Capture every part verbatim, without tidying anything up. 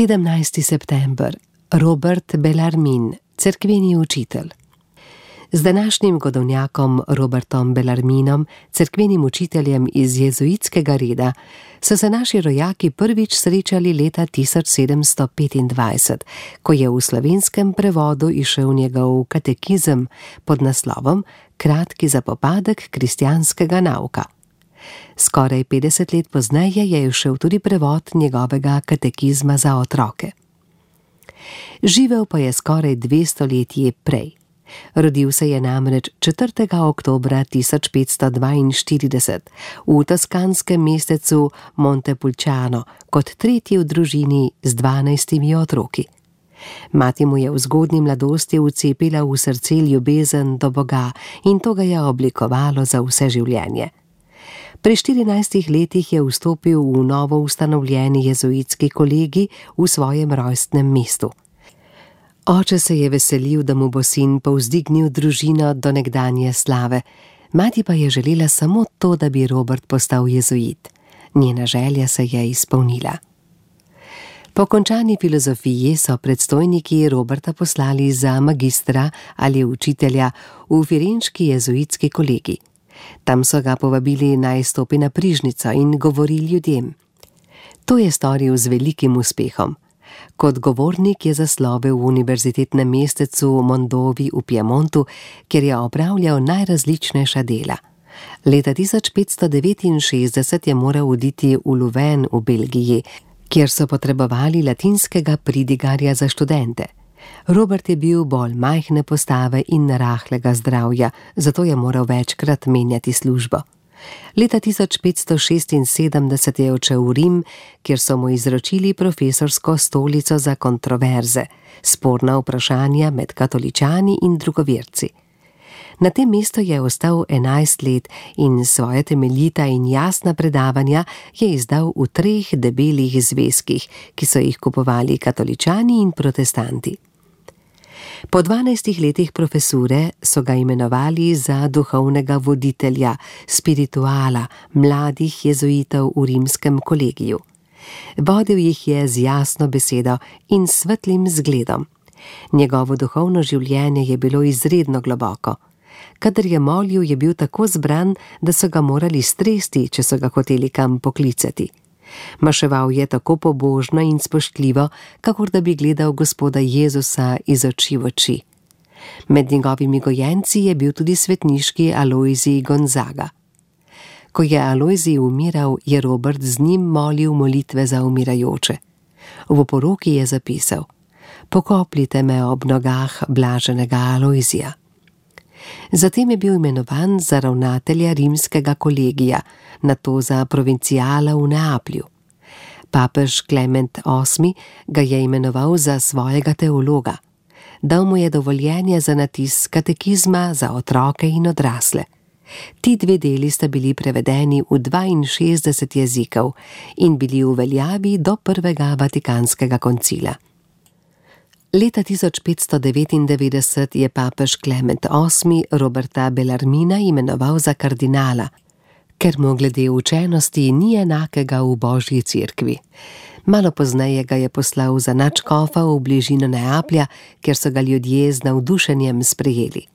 sedemnajsti september. Robert Bellarmin, cerkveni učitelj. Z današnjim godovnjakom Robertom Bellarminom, cerkvenim učiteljem iz jezuitskega reda, so se naši rojaki prvič srečali leta tisoč sedemsto petindvajset, ko je v slovenskem prevodu izšel njegov katekizem pod naslovom Kratki zapopadek kristjanskega nauka. Skoraj petdeset let pozneje je izšel tudi prevod njegovega katekizma za otroke. Živel pa je skoraj dve stoletji prej. Rodil se je namreč četrtega oktobra tisoč petsto dvainštirideset v toskanskem mestecu Montepulciano kot tretji v družini z dvanajstimi otroki. Mati mu je v zgodnji mladosti vcepila v srce ljubezen do Boga in to ga je oblikovalo za vse življenje. Pri štirinajstih letih je vstopil v novo ustanovljeni jezuitski kolegi v svojem rojstnem mestu. Oče se je veselil, da mu bo sin povzdignil družino do nekdanje slave, mati pa je želela samo to, da bi Robert postal jezuit. Njena želja se je izpolnila. Po končani filozofiji so predstojniki Roberta poslali za magistra ali učitelja v firenški jezuitski kolegi. Tam so ga povabili naj stopi na prižnico in govori ljudem. To je storil z velikim uspehom. Kot govornik je zaslovel v univerzitetnem mestecu Mondovi v Piemontu, kjer je opravljal najrazličnejša dela. Leta tisoč petsto devetinšestdeset je moral oditi v Louvain v Belgiji, kjer so potrebovali latinskega pridigarja za študente. Robert je bil bolj majhne postave in rahlega zdravja, zato je moral večkrat menjati službo. Leta tisoč petsto šestinsedemdeset je odšel v Rim, kjer so mu izročili profesorsko stolico za kontroverze, sporna vprašanja med katoličani in drugoverci. Na tem mestu je ostal enajst let in svoje temeljita in jasna predavanja je izdal v treh debelih zvezkih, ki so jih kupovali katoličani in protestanti. Po dvanajstih letih profesure so ga imenovali za duhovnega voditelja, spirituala, mladih jezuitov v rimskem kolegiju. Vodil jih je z jasno besedo in svetlim zgledom. Njegovo duhovno življenje je bilo izredno globoko. Kadar je molil, je bil tako zbran, da so ga morali stresti, če so ga hoteli kam poklicati. Maševal je tako pobožno in spoštljivo, kakor da bi gledal Gospoda Jezusa iz oči v oči. Med njegovimi gojenci je bil tudi svetniški Alojzij Gonzaga. Ko je Alojzij umiral, je Robert z njim molil molitve za umirajoče. V oporoki je zapisal: "Pokopljite me ob nogah blaženega Alojzija." Zatem je bil imenovan za ravnatelja rimskega kolegija, nato za provincijala v Neaplju. Papež Klement osmi ga je imenoval za svojega teologa. Dal mu je dovoljenje za natis katekizma za otroke in odrasle. Ti dve deli sta bili prevedeni v dvainšestdeset jezikov in bili v veljavi do prvega vatikanskega koncila. Leta tisoč petsto devetindevetdeset je papež Klement osmi Roberta Bellarmina imenoval za kardinala, ker mu glede učenosti ni enakega v Božji cerkvi. Malo pozneje ga je poslal za nadškofa v bližino Neaplja, kjer so ga ljudje z navdušenjem sprejeli.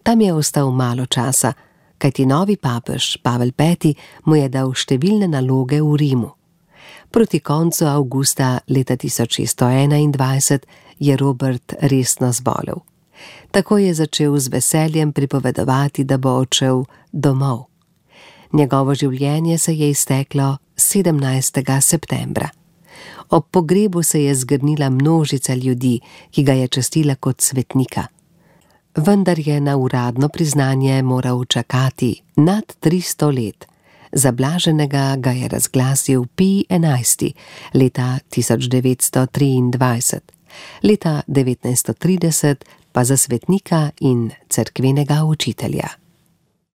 Tam je ostal malo časa, kajti novi papež, Pavel peti, mu je dal številne naloge v Rimu. Proti koncu avgusta leta tisoč šeststo enaindvajset je Robert resno zbolel. Tako je začel z veseljem pripovedovati, da bo odšel domov. Njegovo življenje se je izteklo sedemnajstega septembra. Ob pogrebu se je zgrnila množica ljudi, ki ga je častila kot svetnika. Vendar je na uradno priznanje moral čakati nad tristo let. Za blaženega ga je razglasil Pij enajsti leta tisoč devetsto triindvajset, leta devetnajststo trideset pa za svetnika in cerkvenega učitelja.